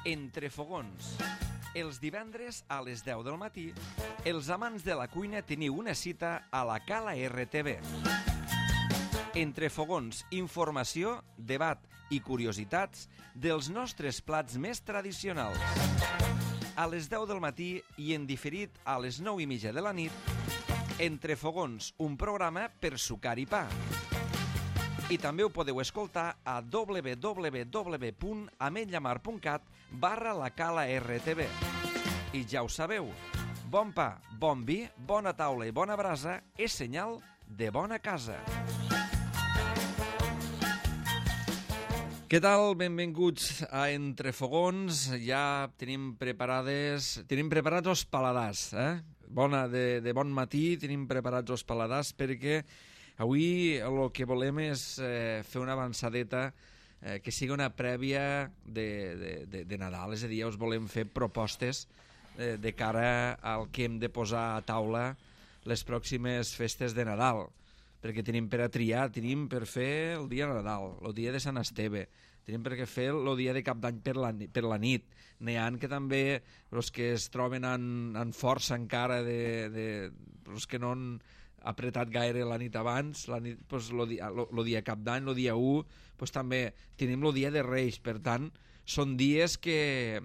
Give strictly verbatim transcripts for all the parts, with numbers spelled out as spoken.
Entre fogons. Els divendres a les deu del matí, els amants de la cuina teniu una cita a la Cala R T V. Entre fogons, informació, debat i curiositats dels nostres plats més tradicionals. A les deu del matí i en diferit a les nou i mitja de la nit, Entre fogons, un programa per sucar i pa. I també ho podeu escoltar a w w w punt ametlllamar punt cat barra la Cala R T V. I ja ho sabeu, bon pa, bon vi, bona taula i bona brasa és senyal de bona casa. Què tal? Benvinguts a Entre fogons. Ja tenim preparades, tenim preparats els paladars, eh? Bona, de, de bon matí tenim preparats els paladars perquè avui el que volem és eh, fer una avançadeta eh, que sigui una prèvia de, de, de, de Nadal, és a dir, us volem fer propostes eh, de cara al que hem de posar a taula les pròximes festes de Nadal, perquè tenim per a triar, tenim per fer el dia de Nadal, el dia de Sant Esteve, tenim per fer el dia de Cap d'Any per la, per la nit. N'hi ha que també, els que es troben en, en força encara, de, de, els que no han apretat gaire la nit abans, la nit, pues, el dia, lo, lo dia Cap d'Any, el dia u, pues, també tenim el dia de Reis. Per tant, són dies que,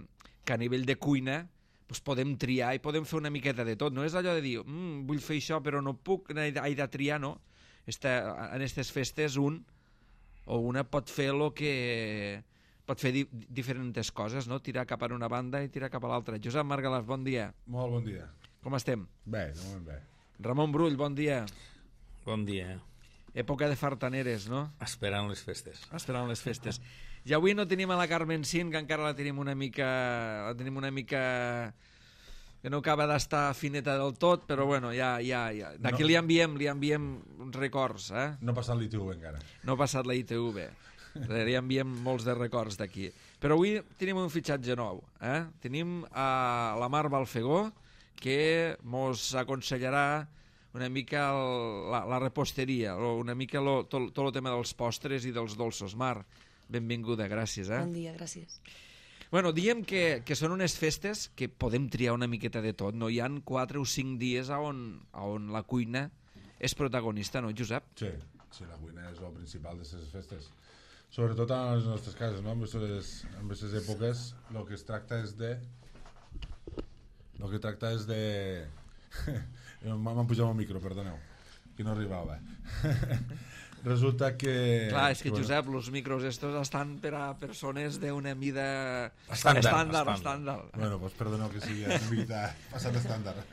que a nivell de cuina pues, podem triar i podem fer una miqueta de tot. No és allò de dir, mm, vull fer això però no puc, he de triar, no. Esta, en aquestes festes un o una pot fer el que pot fer di diferents coses, no? Tirar cap a una banda i tirar cap a l'altra. Josep Margalàs, bon dia. Molt bon dia. Com estem? Bé, de moment bé. Ramon Brull, bon dia. Bon dia. Època de fartaneres, no? Esperant les festes. Esperant les festes. I avui no tenim a la Carmen Cint, que encara la tenim una mica... la tenim una mica... que no acaba d'estar fineta del tot, però bueno, ja, ja, ja. D'aquí no. li enviem, li enviem uns records, eh? No ha passat l'I T V encara. No ha passat la I T V. Li enviem molts de records d'aquí. Però avui tenim un fitxatge nou, eh? Tenim a la Mar Balfegó, que mos aconsellarà una mica el, la, la reposteria, una mica lo, tot, tot el tema dels postres i dels dolços. Mar, benvinguda, gràcies, eh? Bon dia, gràcies. Bueno, diem que, que són unes festes que podem triar una miqueta de tot, no? Hi han quatre o cinc dies on, on la cuina és protagonista, no, Josep? Sí, sí, la cuina és el principal de les festes. Sobretot a les nostres cases, no? En aquestes èpoques el que es tracta és de... El que tracta és de... M'han pujat el micro, perdoneu, que no arribava. Resulta que... Clar, és que, bueno, Josep, els micros estos estan per a persones d'una mida... Estàndard. Estàndard, estàndard. Bueno, doncs perdoneu que sigui una mica passat estàndard.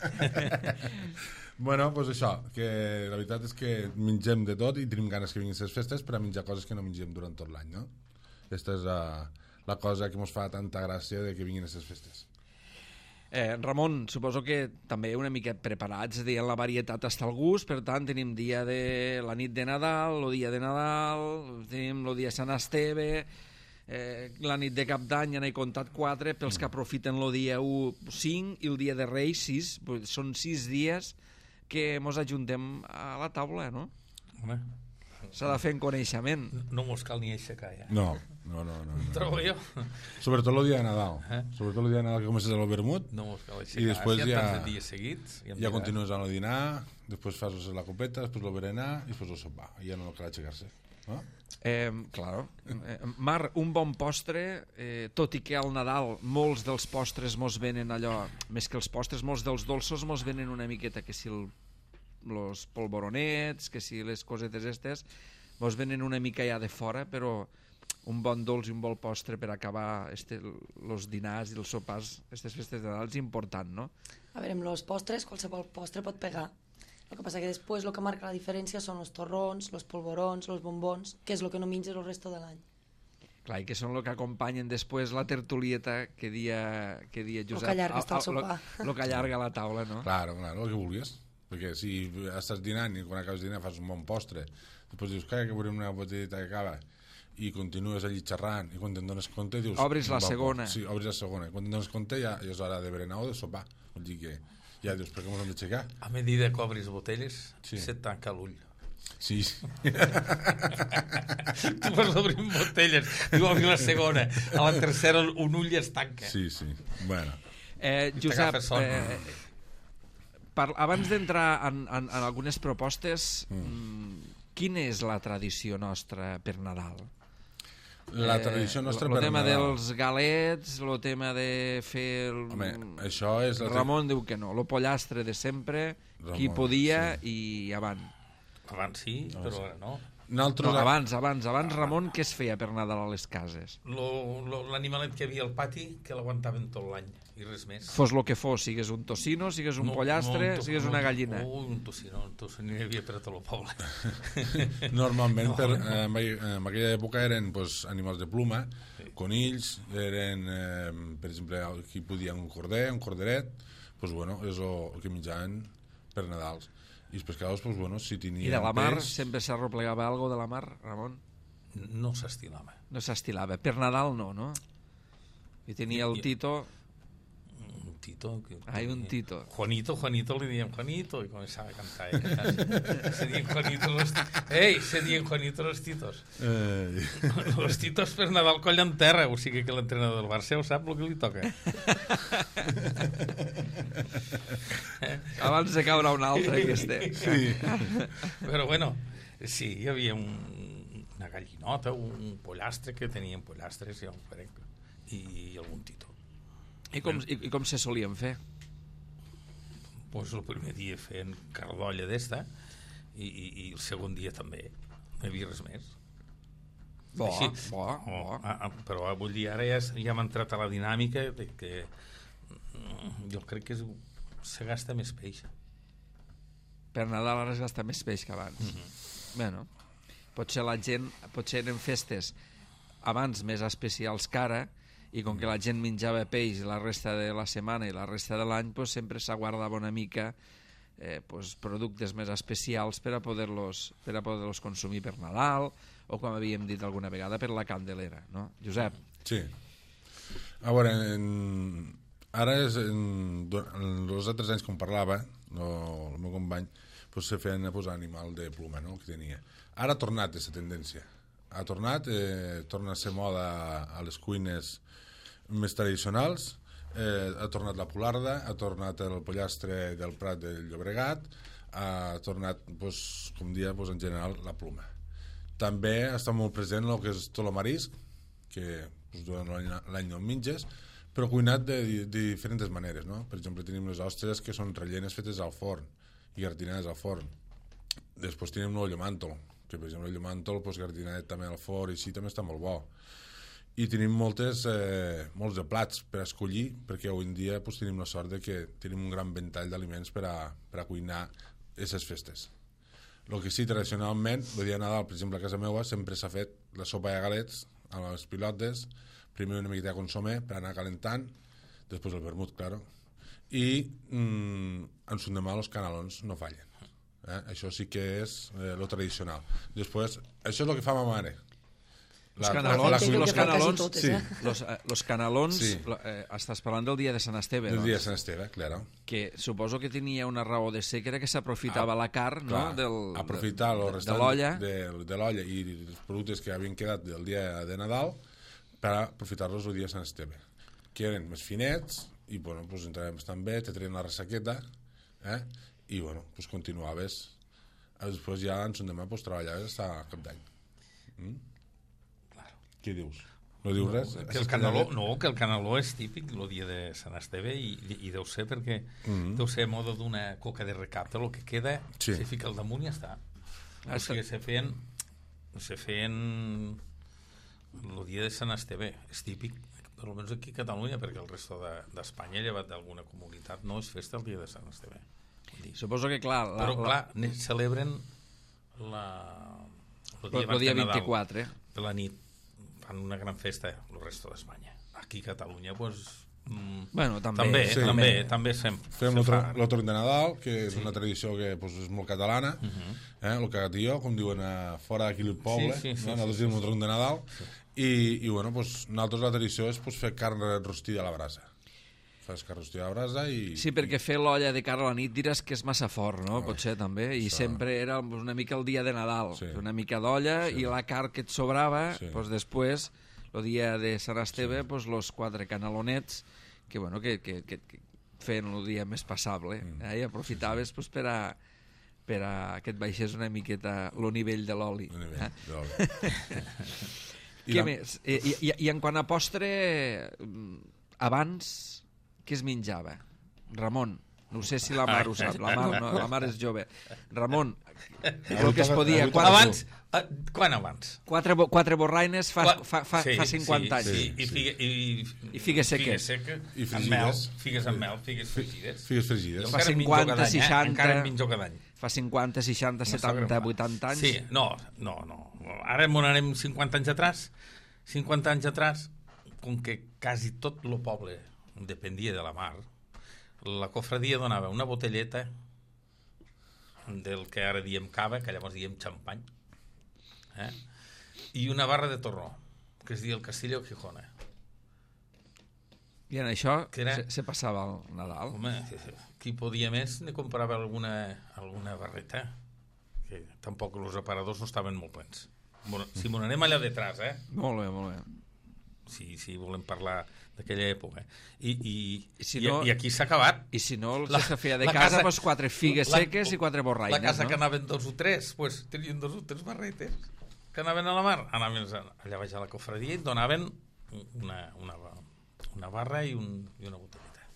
Bueno, doncs això, que la veritat és que mengem de tot i tenim ganes que vinguin les festes per a menjar coses que no mengem durant tot l'any, no? Aquesta és la, la cosa que ens fa tanta gràcia de que vinguin les festes. Eh, Ramon, suposo que també una mica preparats, és a dir, en la varietat està el gust, per tant tenim dia de la nit de Nadal, el dia de Nadal, tenim el dia de Sant Esteve, eh, la nit de Cap d'Any, ja n'he comptat quatre, pels que aprofiten el dia u, cinc, i el dia de Reis, sis, són sis dies que mos ajuntem a la taula, no? Home, s'ha de fer en coneixement. no mos cal ni aixecar, ja. No, no, no. no, no. Trobo jo. Sobretot el dia de Nadal. Eh? Sobretot el dia de Nadal que comences el vermut. No mos cal aixecar. I després si ja... tants de dies seguits... Ja, ja continues amb el dinar, després fas la copeta, després el berenar i després el sopar. I ja no cal aixecar-se. No? Eh, claro. Eh, Mar, un bon postre, eh, tot i que al Nadal molts dels postres mos venen allò, més que els postres, molts dels dolços mos venen una miqueta, que si el, los polvoronets, que si les cosetes estes, mos venen una mica ja de fora, però un bon dolç i un bon postre per acabar este, los dinars i els sopars, aquestes festes de Nadal, és important, no? A veure, amb els postres, qualsevol postre pot pegar. El que passa que després el que marca la diferència són els torrons, els polvorons, els bombons, que és el que no menges el resto de l'any. Clar, i que són el que acompanyen després la tertulieta que dia, que dia Josep. El que allarga està el sopar. El que allarga la taula, no? Claro, claro, el que vulguis. Perquè si estàs dinant i quan acabes de dinar fas un bon postre, després dius, que veurem una botelleta que acaba, i continues allí xerrant, i quan te'n dones compte dius... Obris la segona. Sí, obris la segona. I quan te'n dones compte ja, ja és hora de berenar o de sopar. Vol dir que ja dius, per què m'ho hem d'aixecar? A medida que obris botelles, Sí. se't tanca l'ull. Sí, sí. Tu vas obrint botelles, i obrir la segona. A la tercera un ull es tanca. Sí, sí. Bueno. Eh, Josep, t'agafa son. eh, per, abans d'entrar en, en, en algunes propostes, mm. quina és la tradició nostra per Nadal? La tradició nostra eh, per el tema Nadal. dels galets, el tema de fer el... Home, això és... La Ramon diu que no, lo pollastre de sempre, Ramon, qui podia sí. i avant. Abans sí, No, però sí. ara no. Nosaltres... No, abans, abans, abans, Ramon, què es feia per Nadal a les cases? Lo- lo- L'animalet que hi havia al pati, que l'aguantaven tot l'any, i res més. Fos lo que fos, sigues un tocino, sigues un No, pollastre, no, un to- sigues no, una gallina. Ui, un tocino, un tocino hi havia per a tot el poble. Normalment, No. per, eh, en, aqu- en aquella època eren pues, animals de pluma, Sí. conills, eren, eh, per exemple, aquí podia un corder, un corderet, pues, bueno, és el, el que menjaven per Nadals. I els pescadors, pues, bueno, si tenien I de la mar, peix, sempre s'arroplegava algo de la mar, Ramon? No s'estilava. No s'estilava. Per Nadal no, no? I tenia el I- Tito... Un Tito. Que, Ai, un Tito. Juanito, Juanito, li diem Juanito, i començava a cantar. Eh? Se dien Juanito los... Ei, se dien Juanito los Titos. Eh, Los Titos per Nadal collen terra, o sigui que l'entrenador del Barça ho sap el que li toca. Abans de caure un altre que este. sí. Però bueno, sí, hi havia un, una gallinota, un pollastre, que tenien pollastres, ja ho crec, i algun Tito. I com, i, i com se solien fer? Pues el primer dia feien cardolla d'esta, i, i, i el segon dia també. No hi havia res més. Bo, Així. bo, Oh, bo. ah, ah, però ah, vull dir, ara ja, és- ja hem entrat a la dinàmica de que mm, jo crec que és, se gasta més peix. Per Nadal ara es gasta més peix que abans. Mm -hmm. Bueno, potser la gent, potser eren festes abans més especials que ara, i com que la gent menjava peix la resta de la setmana i la resta de l'any, pues, sempre s'aguardava una mica eh, pues, productes més especials per a poder-los per a poder-los consumir per Nadal, o com havíem dit alguna vegada, per la Candelera, no? Josep? Sí. A veure, en, ara és en, en els altres anys com parlava no, el meu company, pues, se feien a posar animal de pluma, no?, que tenia. Ara ha tornat aquesta tendència. Ha tornat, eh, torna a ser moda a les cuines més tradicionals, eh, ha tornat la polarda, ha tornat el pollastre del Prat del Llobregat, ha tornat, pues, com dia, pues, en general, la pluma. També està molt present el que és tot el marisc, que pues, durant l'any- l'any no en menges, però cuinat de, de, de diferents maneres, no? Per exemple, tenim les ostres que són rellenes fetes al forn i gratinades al forn. Després tenim el llomàntol, que per exemple el llomàntol pues, gratinadet també al forn i així també està molt bo. I tenim moltes, eh, molts de plats per escollir, perquè avui en dia pues, tenim la sort de que tenim un gran ventall d'aliments per, a, per a cuinar aquestes festes. El que sí, tradicionalment, el dia de Nadal, per exemple, a casa meva, sempre s'ha fet la sopa de galets a les pilotes, primer una miqueta de consomé per anar calentant, després el vermut, claro, i mm, en l'endemà els canelons no fallen. Eh? Això sí que és eh, lo tradicional. Després, això és el que fa ma mare. Los canelons, Entenc los que fa quasi canelons, totes, sí. eh? los, eh, los canelons Sí. lo- eh, estàs parlant del dia de Sant Esteve, El doncs, dia de Sant Esteve, claro. que suposo que tenia una raó de ser, que era que s'aprofitava Ah, la carn, no? Clar, Del, aprofitar de, el de, restant de l'olla. de, de l'olla i els productes que havien quedat del dia de Nadal per aprofitar-los el dia de Sant Esteve, que eren més finets i bueno, pues, entraven bastant bé, te treien la ressaqueta, eh? I bueno, pues, continuaves. Després ja en l'endemà pues, treballaves fins a cap d'any. Mm? Claro. Què dius? No dius res? Que el caneló, no, que el caneló és típic el dia de Sant Esteve i, i deu ser perquè mm -hmm. deu ser a moda d'una coca de recapte, el que queda Sí. se fica al damunt i ja està. Ah, O sigui, se feien se feien el dia de Sant Esteve, és típic, almenys aquí a Catalunya, perquè el resto d'Espanya, de, llevat d'alguna comunitat, no és festa el dia de Sant Esteve. Vull dir, Suposo que, clar... La, però, la, clar, ne- celebren la, el dia, el, el abans dia de Nadal, vint-i-quatre. de la nit. Fan una gran festa el resto d'Espanya. Aquí a Catalunya, pues, mm, Bueno, també. també, sí. també, també sem, Fem se fa. l'Otro de Nadal, que és una tradició que pues, és molt catalana, Uh -huh. eh? el cagatilló, com diuen a fora d'aquí el poble, Sí, sí, sí, no? sí, nosaltres sí, diem sí. el tronc de Nadal, i, i bueno, pues, nosaltres la tradició és pues, fer carn rostida a la brasa. fas carròstia a brasa i... Sí, perquè fer l'olla de cara a la nit diràs que és massa fort, no? Oh, Potser també, i això... sempre era una mica el dia de Nadal, Sí. una mica d'olla Sí. i la carn que et sobrava, Sí. doncs després, el dia de Sant Esteve, doncs los quatre canalonets, que, bueno, que, que, que, que feien el dia més passable, Mm. eh? I aprofitaves doncs, per a per a que et baixés una miqueta el nivell de l'oli. El nivell Eh? de l'oli. I Què la- més? I, i, I en quant a postre, mm, abans, què es menjava? Ramon, no sé si la Mar ho sap, la Mar, no, la Mar és jove. Ramon, el que es podia... Avui Quatre, Abans, eh, quan abans? quatre, bo- quatre borraines fa, Qua- fa, fa, sí, fa cinquanta sí, anys. Sí, i, Sí. figue, i, I figues seques. Figues seques, I amb mel, fregides. figues amb mel, figues fregides. Figues fregides. Jo Fa encara en menjo cinquanta, cada any, seixanta. Eh? Encara en menjo cada any. Fa cinquanta, seixanta, setanta, vuitanta anys. Sí, no, no, no. Ara m'ho anem cinquanta anys atrás. cinquanta anys atrás, com que quasi tot el poble dependia de la mar, la cofradia donava una botelleta del que ara diem cava, que llavors diem xampany, eh? I una barra de torró, que es diu el Castillo Gijona. I en això Que era- se, se passava el Nadal. Home, qui podia més ne comprava alguna, alguna barreta, que tampoc els aparadors no estaven molt plens. Bueno, si m'ho anem allà detrás, eh? Molt bé, molt bé. Si, si volem parlar d'aquella època. I, i, I si i, no- i aquí s'ha acabat. I si no, el La- que se feia de la casa, casa- doncs quatre figues la- seques i quatre borraines, La casa no? que anaven dos o tres, pues, tenien dos o tres barretes que anaven a la mar. Anaven allà baix a la cofradia i et donaven una, una, una barra i, un, i una botelleta.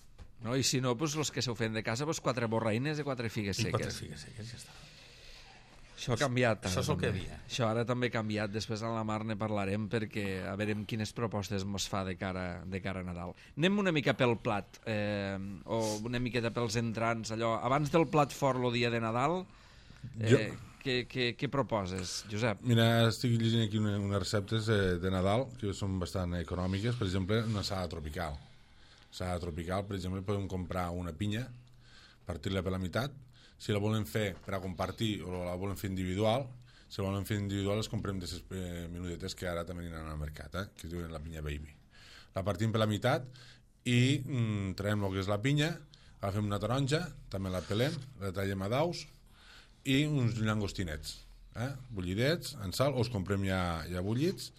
No? I si no, doncs, els que se ho feien de casa, doncs, quatre borraines i quatre figues I quatre seques. figues seques, ja està. Això ha canviat. Això ara, és el que també. hi havia. Això ara també ha canviat. Després a la Mar ne parlarem perquè a veure quines propostes mos fa de cara, de cara a Nadal. Anem una mica pel plat, eh, o una miqueta pels entrants, allò. Abans del plat fort el dia de Nadal, eh, Jo- què, què, què proposes, Josep? Mira, estic llegint aquí una, unes receptes eh, de Nadal que són bastant econòmiques. Per exemple, una salada tropical. Salada tropical, per exemple, podem comprar una pinya, partir-la per la meitat. Si la volen fer per a compartir o la volen fer individual, si la volen fer individual les comprem de les eh, minudetes que ara també aniran al mercat, eh, que es diuen la pinya baby. La partim per la meitat i mm, traiem el que és la pinya, agafem una taronja, també la pelem, la tallem a daus i uns llangostinets, eh? bullidets, en sal, o els comprem ja, ja bullits,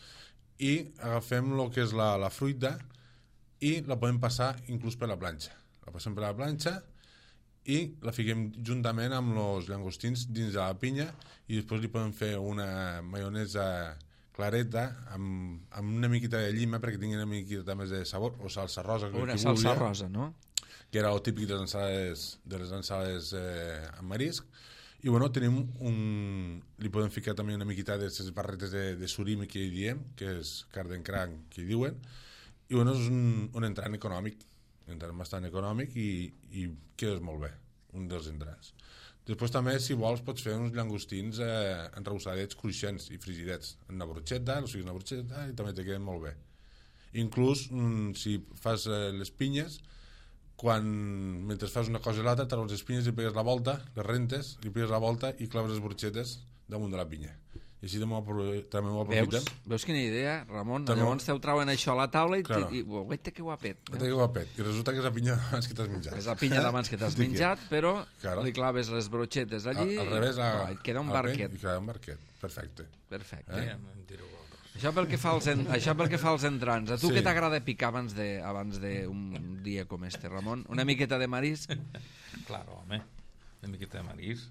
i agafem el que és la, la fruita i la podem passar inclús per la planxa. La passem per la planxa i la fiquem juntament amb els llangostins dins de la pinya i després li podem fer una maionesa clareta amb, amb una miqueta de llima perquè tingui una miqueta més de sabor, o salsa rosa, que Una qui salsa vulgui, rosa, no? que era el típic de les ensalades, de les ensalades eh, amb marisc. I bueno, tenim un... li podem ficar també una miqueta de les barretes de, de surimi que hi diem, que és carn d'encranc, que hi diuen, i bueno, és un, un entrant econòmic, un entrant bastant econòmic i, i quedes molt bé, un dels entrants. Després també, si vols, pots fer uns llangostins eh, enreusadets, cruixents i frigidets, en una brocheta, o sigui, una brocheta, i també te queden molt bé. Inclús, mm, si fas eh, les pinyes, quan, mentre fas una cosa i l'altra, treus les pinyes i pegues la volta, les rentes, li pegues la volta i claves les brochetes damunt de la pinya. I així també ho aprofitem. Veus? Veus quina idea, Ramon? També- Llavors te ho trauen això a la taula i, Claro. i, i guaita que guapet. Que té guapet. I resulta que és la pinya abans que t'has menjat. És la pinya d'abans que t'has Estic menjat, però Claro. li claves les brochetes allí Al, al revés, a, i et queda un a la pell barquet. I queda un barquet. Perfecte. Perfecte. Eh? em direu vosaltres. Això pel que fa als, en... Això pel que fa als entrants. A tu Sí. què t'agrada picar abans de abans d'un dia com este, Ramon? Una miqueta de marisc? Claro, home, una miqueta de marisc.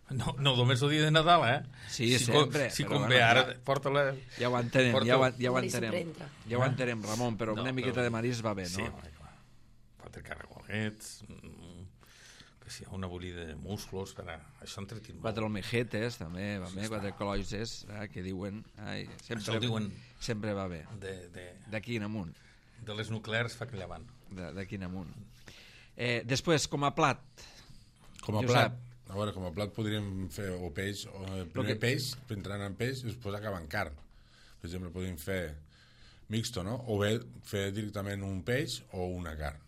No, no només el dia de Nadal, eh? Sí, si sempre, Com, si però convé, bueno, ara ja- porta-la... Ja ho entenem, Porto- ja ho, ja ho Marisc entenem. sempre entra. Ja ho entenem, Ramon, però No, una miqueta però- de marisc va bé, Sí, no? home, clar. Quatre caragolets, mm, que si hi ha una bullida de musclos, per a... això entretinc molt. Quatre almejetes, també, va bé, quatre cloises, eh, que diuen... Ai, sempre, Això ho diuen sempre va bé. de, de, D'aquí en amunt. de les nuclears fa que llevant. de- D'aquí en amunt. Eh, després, com a plat, Com a Josep. plat, a veure, com a plat podríem fer o peix, o eh, primer que- peix, entrant en peix, i després acabar en carn. Per exemple, podríem fer mixto, no? O bé fer directament un peix o una carn.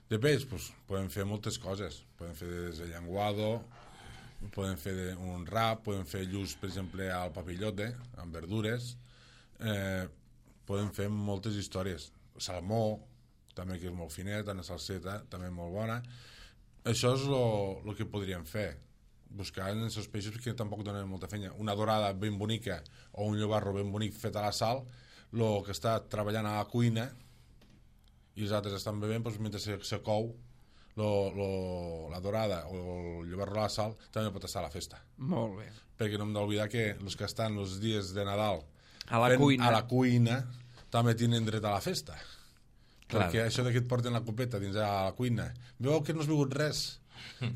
De peix, doncs, podem fer moltes coses. Podem fer des de llenguado, podem fer de- un rap, podem fer lluç, per exemple, al papillote, amb verdures. Eh, podem fer moltes històries. Salmó, també que és molt finet, una salseta també molt bona. Això és el que podríem fer, buscar en els peixos que tampoc donen molta feina. Una dorada ben bonica o un llobarro ben bonic fet a la sal, el que està treballant a la cuina i els altres estan bevent, doncs, mentre se, se cou lo, lo, la dorada o el llobarro a la sal també pot estar a la festa. Molt bé. Perquè no hem d'oblidar que els que estan els dies de Nadal a la, cuina. a la cuina també tenen dret a la festa. Clar. Perquè això de que et porten la copeta dins a la cuina, veu que no has begut res,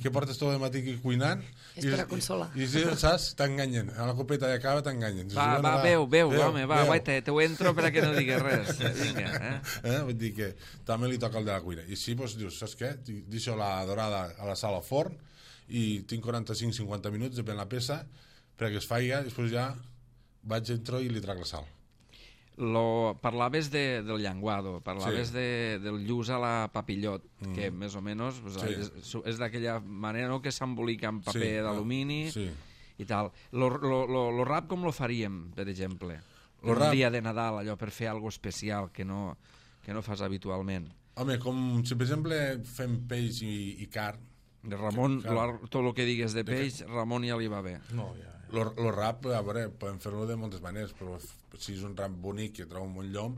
que portes tot el matí aquí cuinant és per a consolar i, i si saps, t'enganyen a la copeta i acaba t'enganyen. Va, va, va, veu, veu, veu, home, va, va, te, te ho entro perquè no digues res. Vinga, eh? eh? Vull dir que també li toca el de la cuina. I si doncs, dius, saps què? Deixo la dorada a la sala al forn i tinc quaranta-cinc cinquanta minuts, depèn la peça, perquè es faiga, i després ja vaig, entro i li trac la sal. Lo, parlaves de, del llenguado, parlaves Sí. de, del lluç a la papillot, mm. que més o menys pues, Sí. és, és d'aquella manera, no?, que s'embolica en paper Sí, d'alumini sí. i tal. Lo, lo, lo, lo rap com lo faríem, per exemple? Lo Un rap- dia de Nadal, allò, per fer alguna especial que no, que no fas habitualment. Home, com si per exemple fem peix i, i carn, De Ramon, Clar. lo, tot el que digues de peix, Ramon ja li va bé. No, ja, ja. lo, lo rap, a veure, podem fer-lo de moltes maneres, però f- si és un rap bonic que treu un bon llom,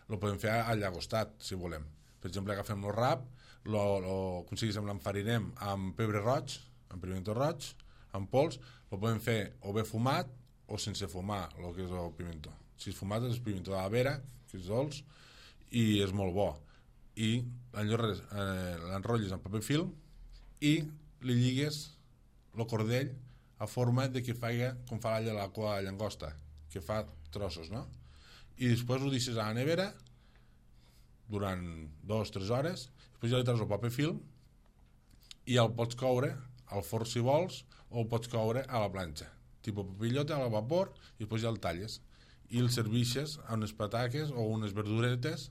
lo podem fer al llagostat, si volem. Per exemple, agafem el rap, lo, lo, com si diguéssim, l'enfarinem amb pebre roig, amb pimiento roig, amb pols, lo podem fer o bé fumat o sense fumar, el que és el pimiento. Si és fumat és pimiento de la vera, que és dolç, i és molt bo. I l'enrotlles eh, l'enrotlles en paper film i li lligues el cordell a forma de que faci com fa la, la cua de llangosta, que fa trossos, no? I després ho deixes a la nevera durant dues o tres hores, després ja li treus el paper film i el pots coure al forn si vols o el pots coure a la planxa, tipus papillote a la vapor, i després ja el talles i el serveixes a unes pataques o unes verduretes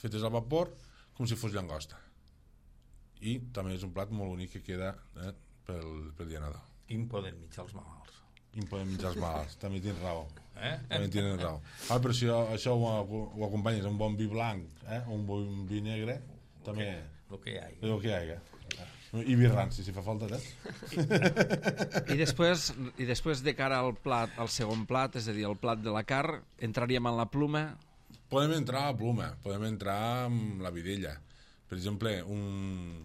fetes al vapor com si fos llangosta. I també és un plat molt bonic que queda eh, pel, pel dia Nadal. I em poden mitjar els malalts. I em podem menjar els malalts, també tens raó. Eh? També tenen raó. Ah, però si això ho, ho acompanyes amb un bon vi blanc eh, o un bon vi negre, també El que hi ha. és el que hi ha. I vi ranci, si fa falta, eh? I després, I després de cara al plat, al segon plat, és a dir, el plat de la carn, entraríem en la pluma. Podem entrar a pluma, podem entrar amb la vidella. Per exemple, un,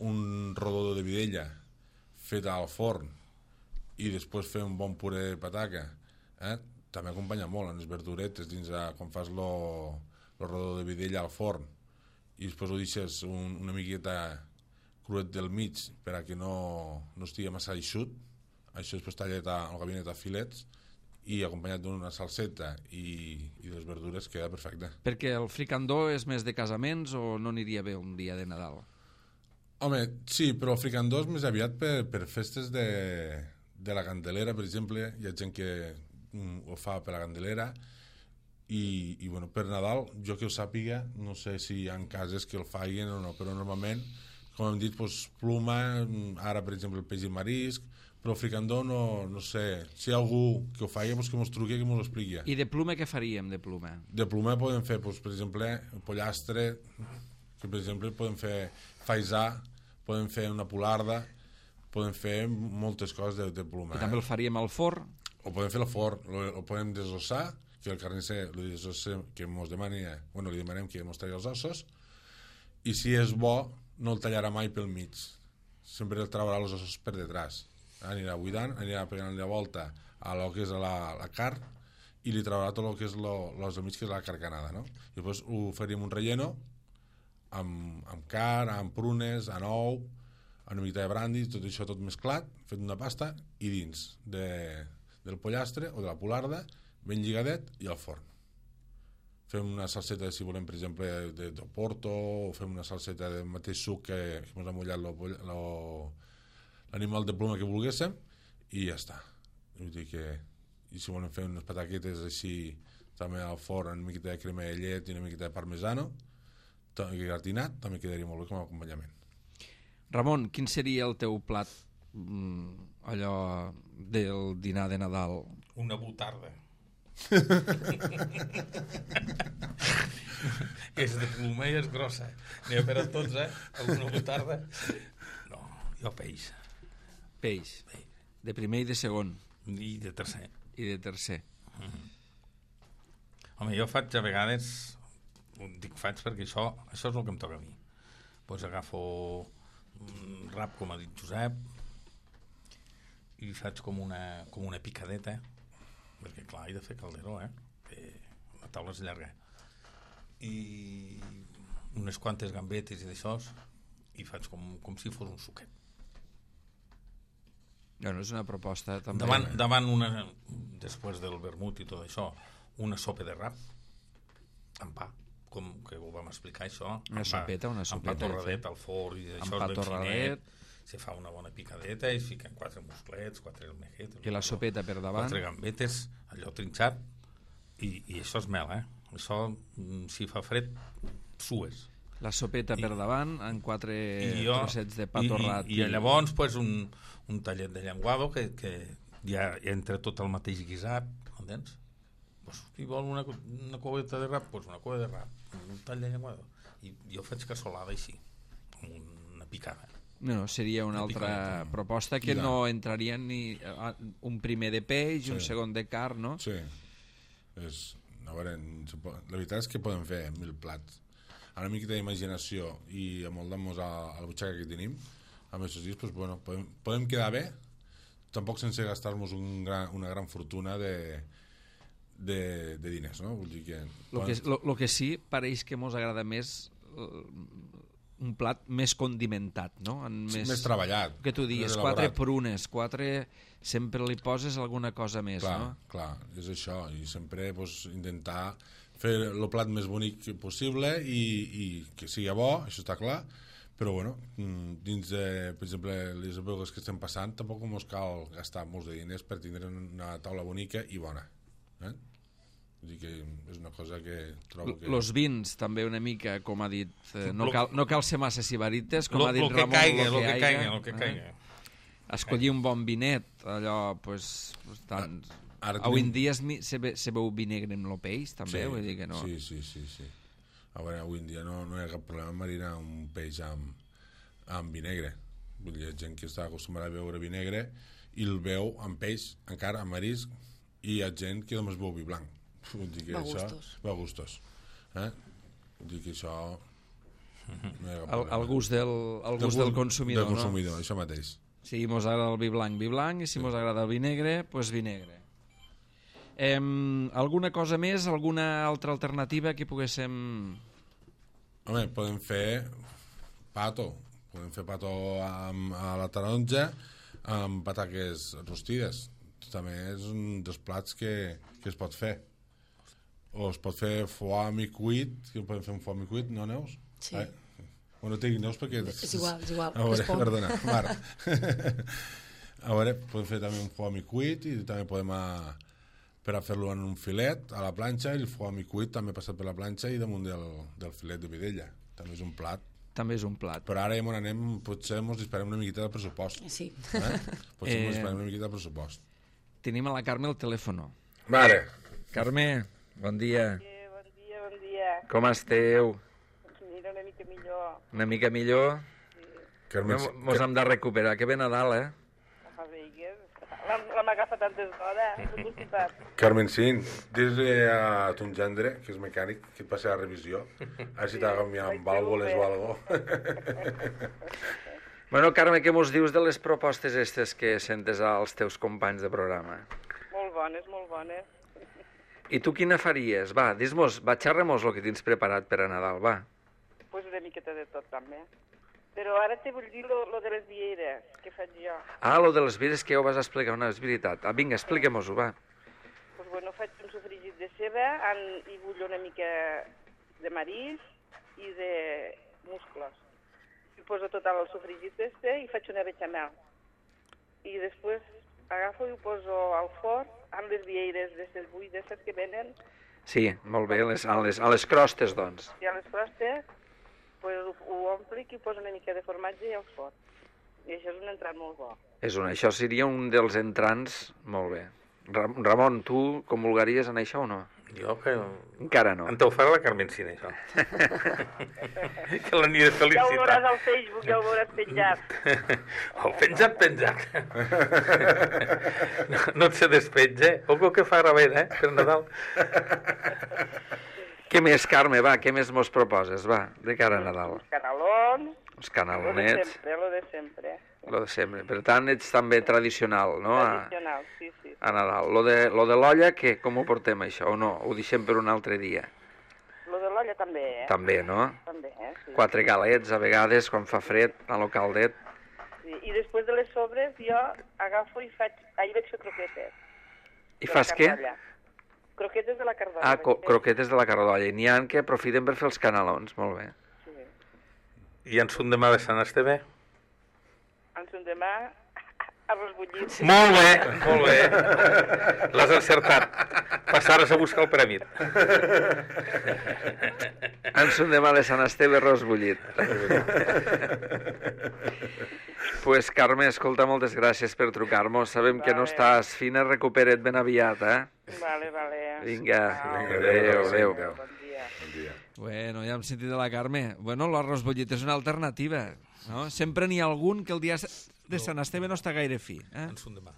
un rodó de vidella fet al forn i després fer un bon puré de pataca, eh? També acompanya molt en les verduretes dins a, quan fas lo, lo rodó de vidella al forn i després ho deixes un, una miqueta cruet del mig per a que no, no estigui massa eixut. Això després tallat al gabinet a filets i acompanyat d'una salseta i, i les verdures queda perfecte. Perquè el fricandó és més de casaments o no aniria bé un dia de Nadal? Home, sí, però el fricandó és més aviat per, per festes de, de la Candelera, per exemple. Hi ha gent que mm, ho fa per la Candelera i, i bueno, per Nadal, jo que ho sàpiga, no sé si hi ha cases que el facin o no, però normalment, com hem dit, doncs, pluma, ara per exemple el peix i marisc, però el fricandó no, no sé, si hi ha algú que ho faci, doncs que mos truqui, que mos ho expliqui. I de pluma què faríem, de pluma? De pluma podem fer, doncs, per exemple, el pollastre, que per exemple podem fer faisà, podem fer una polarda, podem fer moltes coses de, de pluma. I també el faríem al forn? O podem fer al forn, o podem desossar, que el carnisser li desossem, que mos demani, bueno, li demanem que mos tregui els ossos, i si és bo, no el tallarà mai pel mig. Sempre el traurà els ossos per detrás. Anirà buidant, anirà pegant la volta a lo que és la, la carn i li traurà tot el que és lo, los del mig, que és la carcanada, no? I després ho faríem un relleno amb, amb carn, amb prunes, amb ou, amb una mica de brandi, tot això tot mesclat, fet una pasta, i dins de, del pollastre o de la polarda, ben lligadet, i al forn. Fem una salseta, si volem, per exemple, de, de porto, o fem una salseta del mateix suc que, que ens ha mullat lo, lo, l'animal de pluma que volguéssim, i ja està. Vull dir que, i si volem fer unes pataquetes així, també al forn, una miqueta de crema de llet i una miqueta de parmesano, gratinat, també quedaria molt bé com a acompanyament. Ramon, quin seria el teu plat, mm, allò del dinar de Nadal? Una botarda. que és de pluma i és grossa. N'hi ha per a tots, eh? Alguna botarda. No, jo peix. Peix. De primer i de segon. I de tercer. I de tercer. Mm. Home, jo faig a vegades, dic faig perquè això, això és el que em toca a mi. Pues agafo un rap, com ha dit Josep, i faig com una, com una picadeta, perquè clar, he de fer calderó, eh? Que la taula és llarga. I unes quantes gambetes i d'això, i faig com, com si fos un suquet. No, no és una proposta també. Davant, davant una, després del vermut i tot això, una sopa de rap, amb pa, com que ho vam explicar això. Una sopeta, una sopeta. Amb pa torradet al forn i això és ben finet. Se fa una bona picadeta i es fiquen quatre musclets, quatre almejetes. I la sopeta per davant. Quatre gambetes, allò trinxat, i, i això és mel, eh? Això, si fa fred, sues. La sopeta I, per davant, amb quatre jo, trossets de pa torrat. I, i, i llavors, pues, un, un tallet de llenguado que, que ja entra tot el mateix guisat, entens? Pues, si vol una, una coveta de rap, pues una cova de rap, un tall de llenguado. I jo faig cassolada així, amb una picada. No, seria una, una altra picada, proposta que no entraria ni un primer de peix i sí. un segon de carn, no? Sí. És, a veure, la veritat és que podem fer mil plats. Amb una miqueta d'imaginació i amoldant-nos a, a la butxaca que tenim, amb aquests dies, pues, bueno, podem, podem quedar bé, tampoc sense gastar-nos un gran, una gran fortuna de, de, de diners, no? Vull dir que... Lo que, lo, lo que sí, pareix que mos agrada més... un plat més condimentat, no? En més, més, més treballat. Que tu dius, quatre prunes, quatre... Sempre li poses alguna cosa més, clar, no? Clar, és això. I sempre pues, intentar fer el plat més bonic possible i, i que sigui bo, això està clar, però bueno, dins de, per exemple, les èpoques que estem passant, tampoc ens cal gastar molts de diners per tindre una taula bonica i bona. Eh? Vull dir que és una cosa que trobo que... Los vins, també una mica, com ha dit, eh, no, cal, no cal ser massa sibarites, com lo, ha dit lo Ramon, caiga, lo que, que caiga, lo que caiga. Eh? Escollir un bon vinet, allò, pues, tant... Ara avui en dia es, se, ve, se veu vi negre amb el peix, també, sí, vull dir que no... Sí, sí, sí, sí. A veure, avui en dia no, no hi ha cap problema marinar un peix amb, amb vi negre. Vull dir, hi ha gent que està acostumada a beure vi negre i el veu amb peix, encara amb marisc, i hi ha gent que només beu vi blanc. Vull dir que va això... gustos. Va gustos. Eh? Vull dir que això... No el, el gust del, el gust del, del consumidor, del consumidor, no? Això mateix. Si mos agrada el vi blanc, vi blanc, i si sí. mos agrada el vi negre, doncs pues vi negre. Eh, alguna cosa més, alguna altra alternativa que poguéssim... Home, podem fer pato. Podem fer pato amb, a la taronja amb pataques rostides. També és un dels plats que, que es pot fer. O es pot fer foie mi cuit, que podem fer un foie mi cuit, no, Neus? Sí. Eh? Bueno, no tinc Neus perquè... És igual, és igual. A veure, perdona, Marc. A veure, podem fer també un foie mi cuit i també podem... A, per a fer-lo en un filet a la planxa, i el foie mi cuit també passat per la planxa i damunt del, del filet de vedella. També és un plat. També és un plat. Però ara ja m'on anem, potser ens disparem una miqueta del pressupost. Sí. Eh? Potser eh... ens disparem una miqueta del pressupost. Tenim a la Carme el telèfon. Mare. Carme, bon dia. Sí, bon dia, bon dia. Com esteu? Mira, una mica millor. Una mica millor? Sí. Carme, no, mos hem de recuperar. Que bé Nadal, eh? Ah, vinga. La m'agafa tantes hores. Carmen, sí, dis-li a ton gendre, que és mecànic, que et passi a la revisió, a veure si t'ha canviat amb vàlvules o algo. Bueno, Carme, què mos dius de les propostes estes que sentes als teus companys de programa? Molt bones, molt bones. I tu quina faries? Va, dis-mos, va, xerra-mos el que tens preparat per a Nadal, va. Pues una miqueta de tot, també. Però ara te vull dir lo, lo de les vieres, que faig jo. Ah, lo de les vieres que ja ho vas explicar, una és veritat. Ah, vinga, expliquem-ho, va. Pues bueno, faig un sofregit de ceba amb, i bullo una mica de marís i de musclos. I poso tot al sofregit este i faig una bechamel. I després agafo i ho poso al forn amb les vieres d'aquestes buides que venen. Sí, molt bé, les, a, les, a les crostes, doncs. I a les crostes pues, ho, ho omplic i poso una mica de formatge i al forn. I això és un entrat molt bo. És un, això seria un dels entrants molt bé. Ramon, tu comulgaries en això o no? Jo que... Encara no. En t'ho farà la Carmencina, això. Que l'aniré Ja ho veuràs felicitant. al Facebook, ja ho veuràs penjat. Oh, penjat, penjat. No, no et se despenja. Algo que fa gravent, eh, per Nadal. Què més, Carme, va, què més mos proposes, va, de cara a Nadal? Canalons, Els lo de canalonets, sempre, lo de sempre. lo de sempre. Per tant, ets també tradicional, no?, a, Tradicional, sí, sí. a Nadal. Lo de, lo de l'olla, què? Com ho portem, això, o no? Ho deixem per un altre dia? Lo de l'olla també, eh? També, no? També, eh? Sí. Quatre galets, a vegades, quan fa fred, a lo caldet. Sí. I després de les sobres jo agafo i faig... Ahir vaig fer croquetes. I de la fas què? carn d'olla. Croquetes de la cardolla. Ah, co vaig fer. croquetes de la cardolla. I n'hi ha que aprofiten per fer els canalons, molt bé. Sí. I en son demà de Sant Esteve? En son demà, arròs bullit. Molt bé, molt bé. L'has encertat. Passaràs a buscar el premi. En son demà de Sant Esteve, arròs bullit. Pues, Carme, escolta, moltes gràcies per trucar-nos. Sabem que no Vale. estàs fina, recupera't ben aviat, eh? Vale, vale. Vinga, Au, vinga, adéu, adéu. Bon dia. Bon dia. Bueno, ja hem sentit de la Carme. Bueno, l'arròs bullit és una alternativa, no? Sempre n'hi ha algun que el dia de Sant Esteve no està gaire fi, eh? En son demà.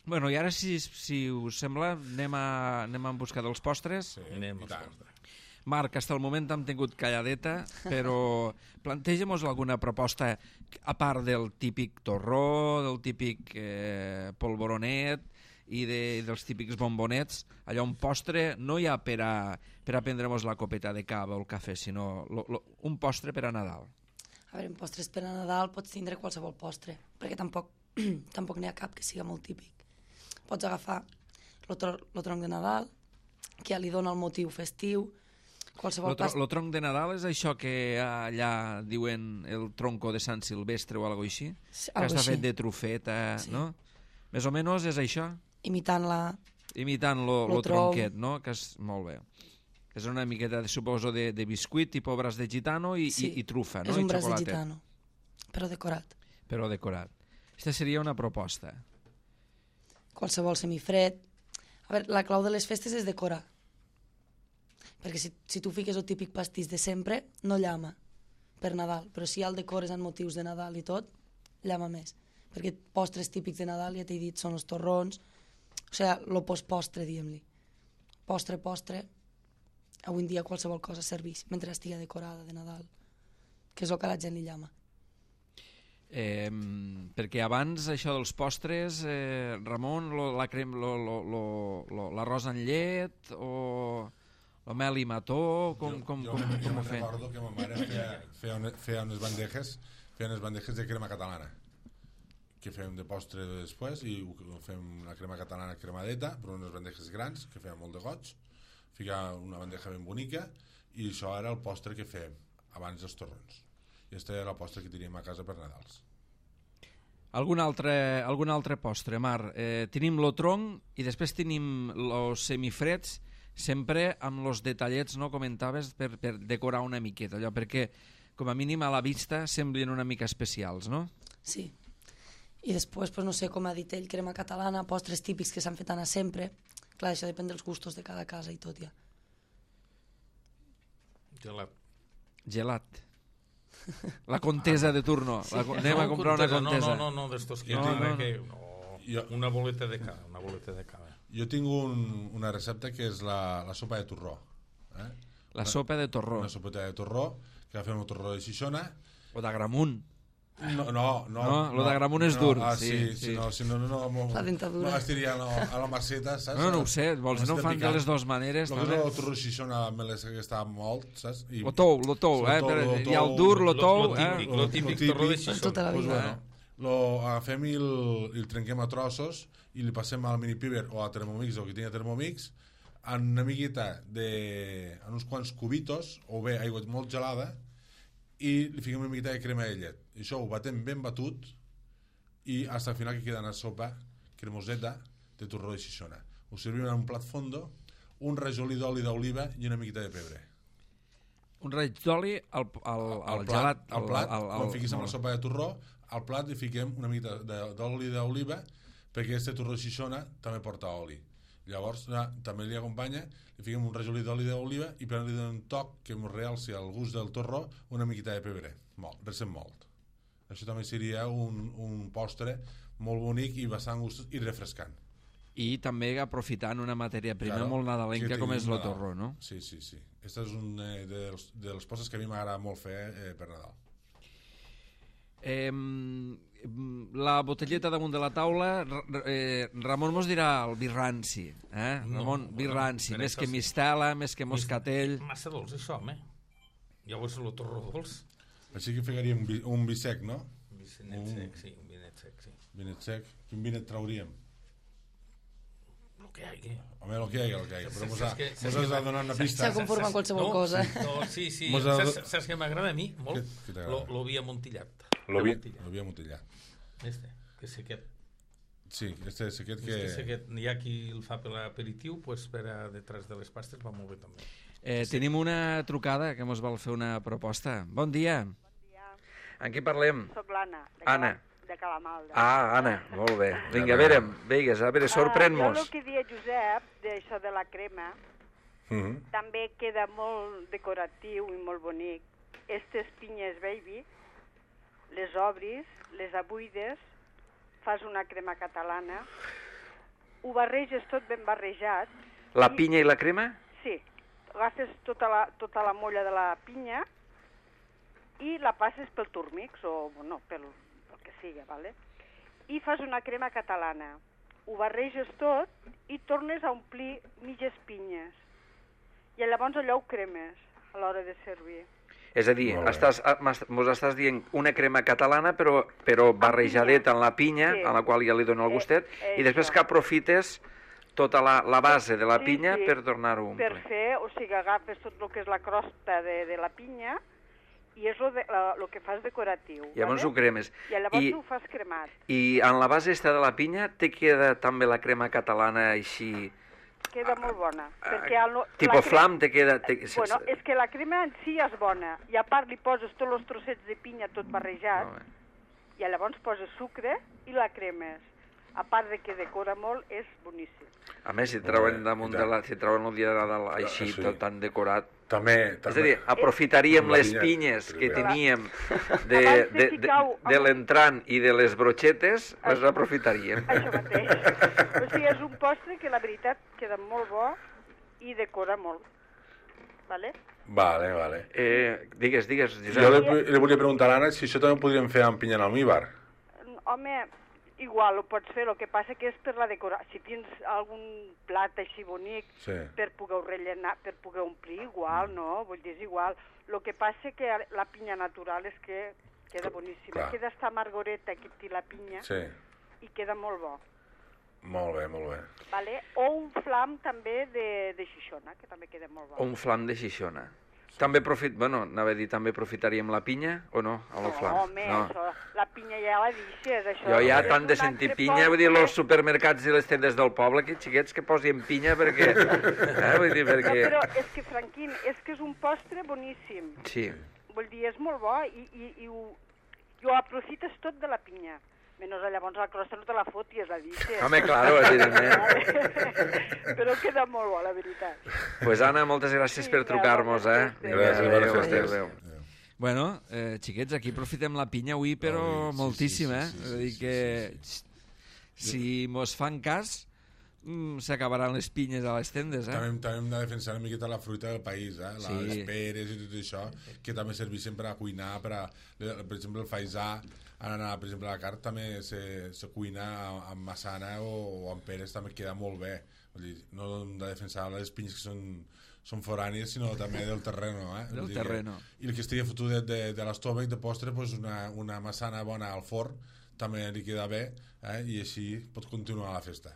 Bueno, i ara, si, si us sembla, anem a, anem a en buscar dels postres. Sí, Anem i als tant. postres. Marc, hasta el moment hem tingut calladeta, però planteja'm-nos alguna proposta, a part del típic torró, del típic eh, polvoronet i de, dels típics bombonets. Allò, un postre, no hi ha per a, per a prendre-nos la copeta de cava o el cafè, sinó lo, lo, un postre per a Nadal. A veure, en postres per a Nadal pots tindre qualsevol postre, perquè tampoc tampoc n'hi ha cap que siga molt típic. Pots agafar el tro tronc de Nadal, que ja li dona el motiu festiu, qualsevol Lo, tro pas... lo tronc de Nadal és això que allà diuen el tronco de Sant Silvestre o alguna cosa així? Sí, Que algo està així. fet de trufeta, Sí. no? Més o menys és això? Imitant la... Imitant lo, Lo lo tronc. tronquet, no? Que és molt bé. És una miqueta, de, suposo, de, de biscuit, tipus braç de gitano i, Sí, i, i trufa, no? és un I braç de xocolatet, gitano, però decorat. però decorat. Aquesta seria una proposta. Qualsevol semifred. A veure, la clau de les festes és decorar. Perquè si, si tu fiques el típic pastís de sempre, no llama per Nadal. Però si ja el decores en motius de Nadal i tot, llama més. Perquè postres típics de Nadal, ja t'he dit, són els torrons. O sigui, el postpostre, diguem-li. Postre, postre, avui en dia qualsevol cosa serveix, mentre estigui decorada de Nadal. Que és el que a la gent li llama. Eh, perquè abans això dels postres, eh, Ramon, lo, la crem, lo, lo, lo, lo, l'arròs en llet o lo mel i mató, com, jo, com, jo, com, jo com ho me'n fer? recordo que ma mare feia, feia, una, feia unes bandejes feia unes bandejes de crema catalana que fèiem de postre després i ho fem la crema catalana cremadeta, però unes bandejes grans que feien molt de goig, ficava una bandeja ben bonica i això era el postre que fèiem abans dels torrons. I aquesta era la postre que teníem a casa per Nadals. Algun altre, algun altre postre, Mar? Eh, tenim lo tronc i després tenim los semifreds, sempre amb los detallets, no comentaves, per, per decorar una miqueta, allò, perquè com a mínim a la vista semblin una mica especials, no? Sí. I després, pues, no sé, com ha dit ell, crema catalana, postres típics que s'han fet anar sempre. Clar, això depèn dels gustos de cada casa i tot ja. Gelat. Gelat. La contesa de turno. Sí. La, anem a comprar una contesa. No, no, no, d'estos que... Jo No, tinc- no, que no, Jo- una boleta de cada, una boleta de cada. Jo tinc un, una recepta que és la, la sopa de torró. Eh? La sopa de torró. Una sopeta de torró, que agafem el torró de Xixona. O d'agramunt. No, no, no. No, lo d'agramunt és dur, Ah, sí, sí, sí. sí. No, si no, no, no, no, La dentadura. no estiria no, a la maceta, saps? No, no ho sé, vols no ho fan de les dues maneres. El no? que és el torró de Xixona me l'he que està molt, saps? I, Lo tou, lo tou, Lo eh? tou, Per, lo hi ha el tou, dur, lo lo- tou, lo eh? típic, lo típic torró de Xixona. Tota la Pues vida. bueno, lo agafem i el, i el trenquem a trossos i li passem al mini piber o a Thermomix o que tingui Thermomix en una miqueta de... en uns quants cubitos o bé aigua molt gelada i li fiquem una miqueta de crema de llet. I això ho batem ben batut i fins al final que queda una sopa cremoseta de torró de Xixona. Ho servim en un plat fondo, un rajolí d'oli d'oliva i una miqueta de pebre. Un raig d'oli al, al, al, Al gelat. al plat, al, al, quan fiquis amb la sopa de torró, al plat hi fiquem una mica de- d'oli d'oliva perquè este torró de Xixona també porta oli. Llavors, ja, també li acompanya, li fiquem un rajolí d'oli d'oliva i per li donem un toc que ens realci el gust del torró, una miqueta de pebre, molt, recent molt. Això també seria un, un postre molt bonic i bastant gustós i refrescant. I també aprofitant una matèria prima Claro, molt nadalenca com és el Nadal. torró, no? Sí, sí, sí. Aquest és un eh, dels, dels postres que a mi m'agrada molt fer eh, per Nadal. Eh, la botelleta damunt de la taula, eh, Ramon mos dirà el vi ranci, eh? No, Ramon, vi bueno, ranci, per més això que sí. mistela, més que moscatell. Massa dolç, això, home. Llavors el torró dolç. Així que ficaríem un, vi, un vi sec, no? Un vinet Un- sec, sí, un vinet sec, sí. Vinet sec. Quin vinet trauríem? El que hi hagi. Home, el que hi hagi, el que hi hagi. Però Saps mos ha, que- saps mos has que- de donar una saps- pista. Se conforma amb qualsevol no, cosa. No, sí, sí. Mos ha- Saps, saps què m'agrada a mi? Molt? Què- què t'agrada? Lo- L'ovi amuntillat. L'ovi Amuntillat. l'ovi amuntillat. Este, que és aquest. Sí, este és aquest Que... que... És aquest. Hi ha qui el fa per l'aperitiu, pues per a detrás de les pastes va molt bé també. Eh, tenim una trucada que mos vol fer una proposta. Bon dia. dia. En qui parlem? Soc l'Anna, de, Anna. Cala, de Calamalda. Ah, Anna, molt bé. Vinga, a veure, vinga, a veure, Ah, jo sorprèn-nos. el que deia Josep, d'això de la crema, Mm -hmm. també queda molt decoratiu i molt bonic. Estes pinyes baby, les obris, les abuides, fas una crema catalana, ho barreges tot ben barrejat. La i- pinya i la crema? Sí, agafes tota la, tota la molla de la pinya i la passes pel turmix o bueno, pel, pel que sigui, ¿vale? I fas una crema catalana. Ho barreges tot i tornes a omplir mitges pinyes. I llavors allò ho cremes a l'hora de servir. És a dir, Molt bé. estàs, ah, m'est- mos estàs dient una crema catalana però, però barrejadeta en la pinya, Sí. a la qual ja li dona el Eh, gustet, eh, i després això. que aprofites tota la, la base de la Sí, pinya sí. per tornar-ho a Per omplir. fer, o sigui, agafes tot el que és la crosta de, de la pinya i és el que fas decoratiu. I llavors ¿vale? ho cremes. I llavors I, ho fas cremat. I en la base esta de la pinya te queda també la crema catalana així... Queda molt bona. Ah, Perquè el, no- tipo la crema- flam te queda... Te, Bueno, és que la crema en si és bona. I a part li poses tots els trossets de pinya tot barrejat Molt bé. i llavors poses sucre i la cremes. A part de que decora molt, és boníssim. A més, si Molt treuen bé, damunt i de tant. la... Si treuen el dia de Nadal així, sí. tot tan decorat... També, també... És a dir, aprofitaríem Amb la les pinya, pinyes que primer. teníem de, Abans de de, de, ficar-ho de amb- l'entrant i de les brochetes, les Això. aprofitaríem. Això mateix. O sigui, és un postre que la veritat queda molt bo i decora molt. Vale? Vale, vale. Eh, digues, digues, Jo Josep. li, li volia preguntar a l'Anna si això també ho podríem fer amb pinya en almíbar. Home, igual ho pots fer, el que passa que és per la decoració. Si tens algun plat així bonic Sí. per poder rellenar, per poder omplir, igual, no? Vull dir, és igual. El que passa que la pinya natural és que queda boníssima. Clar. Queda esta amargoreta que té la pinya Sí. i queda molt bo. Molt bé, molt bé. Vale? O un flam també de, de xixona, que també queda molt bo. O un flam de xixona. També profit... Bueno, anava a dir, també aprofitaríem la pinya o no, amb el flam? No, home, això, la pinya ja la deixes, això. Jo ja és tant de un sentir altre pinya, vull dir, postre. els supermercats i les tendes del poble, que xiquets que posin pinya perquè... Eh, vull dir, No, perquè... però és que, Franquín, és que és un postre boníssim. Sí. Vull dir, és molt bo i, i, i, ho, i ho aprofites tot de la pinya. Menys llavors la crosta no te la fotis, la deixes. Home, claro, evidentment. Però queda molt bo, la veritat. Pues Anna, moltes gràcies Sí, per trucar-nos, eh? gràcies. Vinga, Gràcies, adéu, bones adéu, festes. adéu. Bueno, eh, xiquets, aquí aprofitem la pinya avui, però Avui, sí, moltíssim, sí, sí, eh? sí, És sí, a dir sí, que si mos fan cas, mm, s'acabaran les pinyes a les tendes, eh? També, també hem de defensar una miqueta la fruita del país, eh? Sí. Les peres i tot això, que també serveixen per a cuinar, per, a, per exemple, el faisà, ara, per exemple, la carn també se, se cuina amb, amb massana o, o amb peres, també queda molt bé. Vull dir, no hem de defensar les pinyes que són, són forànies, sinó també del terreno, eh? Del Vull dir terreno. Que, I el que estigui fotut de, de, de l'estómac, de postre, pues una, una massana bona al forn, també li queda bé, eh? I així pot continuar la festa.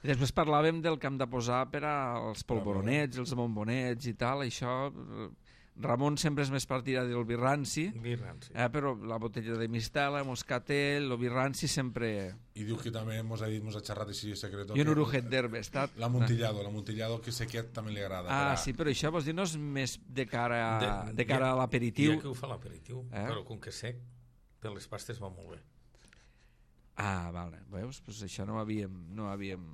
I després parlàvem del que hem de posar per als polvoronets, els bombonets i tal, això... eh, Ramon sempre és més partidari del vi ranci, Vi ranci. eh, però la botella de mistela, moscatel, el vi ranci sempre... I diu que també mos ha dit, mos ha xerrat així secret. I un orujet d'herba, està... L'amontillado, l'amontillado que sequet també li agrada. Ah, per a- sí, però això vols dir no és més de cara, de, de cara hi ha- a l'aperitiu? Hi ha qui ho fa a l'aperitiu, Eh? però com que sec, per les pastes va molt bé. Ah, vale, veus? Pues això no ho havíem, no ho havíem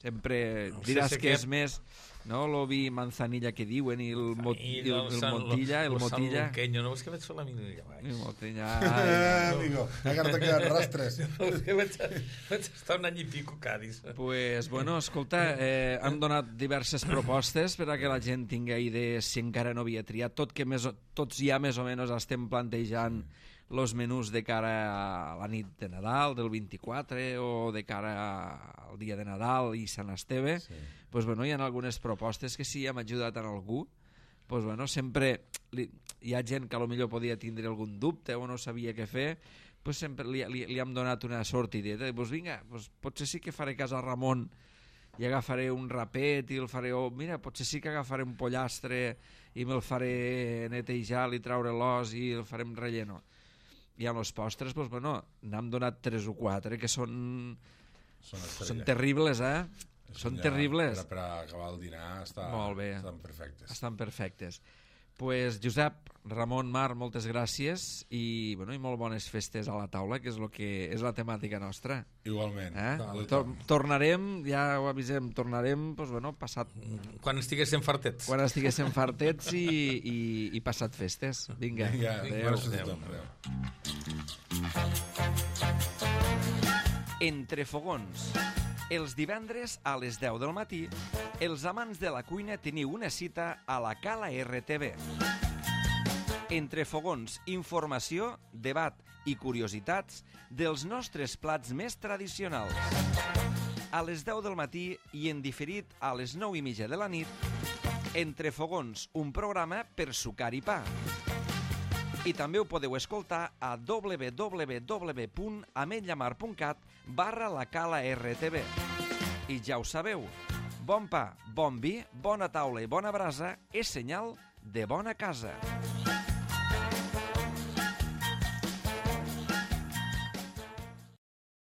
sempre No sé diràs si que aquest- és més, no?, l'ovi manzanilla que diuen, i el, mot, i el, el San- motilla, el lo motilla... sanluqueño, no és que vaig fer la mínima El baix. motilla... Eh, Ai, amigo, encara te queden rastres. No, és que vaig, vaig estar un any i pico a Cádiz. Pues, bueno, escolta, eh, hem donat diverses propostes per a que la gent tingui idees si encara no havia triat, tot que més, o- tots ja més o menys estem plantejant els menús de cara a la nit de Nadal, del vint-i-quatre, o de cara al dia de Nadal i Sant Esteve. Sí. Pues, bueno, hi ha algunes propostes que si hem ajudat a algú, pues, bueno, sempre li, hi ha gent que a lo millor podia tindre algun dubte o no sabia què fer, pues sempre li, li, li hem donat una sortideta. Pues vinga, pues potser sí que faré cas a Ramon i agafaré un rapet i el faré, o mira, potser sí que agafaré un pollastre i me'l faré netejar i treure l'os i el farem relleno. I amb els postres, doncs, bueno, n'hem donat tres o quatre que són, Són, són terribles, eh? Són ja, terribles. Per, per acabar el dinar està, Molt bé. estan perfectes. Estan perfectes. Pues, Josep, Ramon, Mar, moltes gràcies i, bueno, i molt bones festes a la taula, que és, lo que és la temàtica nostra. Igualment. Eh? Vale. Tor tornarem, ja ho avisem, tornarem, doncs, bueno, passat, Quan estiguéssim fartets. quan estiguéssim fartets i, i, i passat festes. Vinga, Vinga, adéu. bones festes a tothom. Adéu. Entre fogons. Els divendres a les deu del matí, els amants de la cuina teniu una cita a la Cala R T V. Entre fogons, informació, debat i curiositats dels nostres plats més tradicionals. A les deu del matí i en diferit a les nou i mitja de la nit, Entre fogons, un programa per sucar i pa. I també ho podeu escoltar a w w w punt ametlllamar punt cat barra la Cala R T V. I ja ho sabeu, bon pa, bon vi, bona taula i bona brasa és senyal de bona casa.